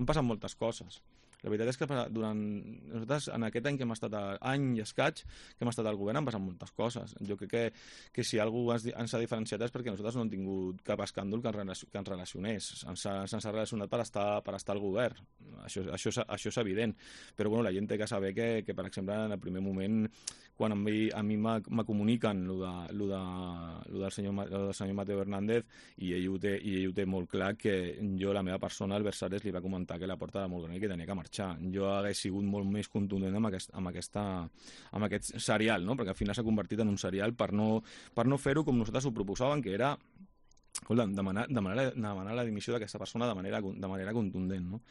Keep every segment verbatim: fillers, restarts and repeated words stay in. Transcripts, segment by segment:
han passat moltes coses. La veritat és que durant nosaltres, en aquest any que hem estat, a, any i escaig, que hem estat al govern, han passat moltes coses. Jo crec que, que si algú ens, ens ha diferenciat és perquè nosaltres no hem tingut cap escàndol que ens, que ens relacionés. Ens ha, ens ha relacionat per estar, per estar al govern. Això, això, això és evident. Però bueno, la gent té que saber que, que per exemple, en el primer moment, quan a mi, a mi me comuniquen lo, de, lo, de, lo, del senyor, lo del senyor Mateo Hernández, i ell, ho té, i ell ho té molt clar, que jo, la meva persona, al Versalles, li va comentar que la porta era molt gran i que tenia que marxar. Jo hagués sigut molt més contundent amb aquest, amb aquesta, amb aquest serial, no? Perquè al final s'ha convertit en un serial per no, per no fer-ho com nosaltres ho proposàvem, que era escolta, demanar, demanar, demanar la dimissió d'aquesta persona de manera, de manera contundent, no?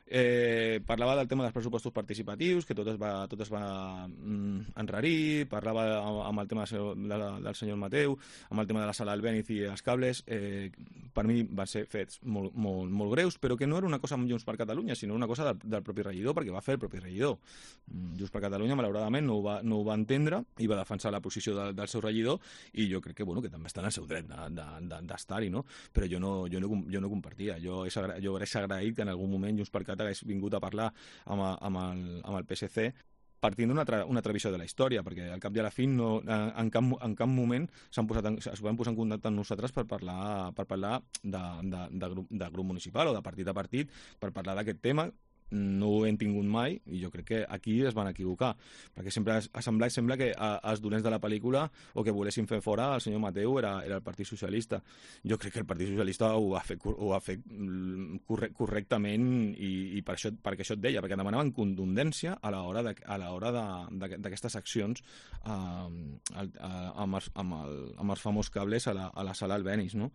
Eh, parlava del tema dels pressupostos participatius, que tot es va, tot es va mm, enrarir, parlava amb el tema de la, del senyor Mateu, amb el tema de la sala del Béniz i els cables. Eh, per mi van ser fets molt, molt, molt greus, però que no era una cosa amb Junts per Catalunya, sinó una cosa del, del propi regidor, perquè va fer el propi regidor. Junts per Catalunya, malauradament, no ho va, no ho va entendre i va defensar la posició de, del seu regidor, i jo crec que, bueno, que també està en el seu dret d'estar-hi, no? Però jo no, jo no, jo no compartia. Jo, és, jo hagués agraït que en algun moment Junts per Catalunya hagués vingut a parlar amb, amb, el, amb el P S C partint d'una una altra visió de la història, perquè al cap i a la fi no, en, cap, en cap moment s'han posat en, es van posar en contacte amb nosaltres per parlar, per parlar de, de, de, grup, de grup municipal o de partit a partit, per parlar d'aquest tema. No ho hem tingut mai, i jo crec que aquí es van equivocar, perquè sempre ha semblat sembla que els dolents de la pel·lícula o que volessin fer fora el senyor Mateu era, era el Partit Socialista. Jo crec que el Partit Socialista ho ha fet, ho ha fet corre, correctament i, i per això, perquè això et deia, perquè demanaven contundència a l'hora de, a l'hora d'aquestes accions eh, amb, els, amb, els, amb els famós cables a la, a la sala Albéniz, no?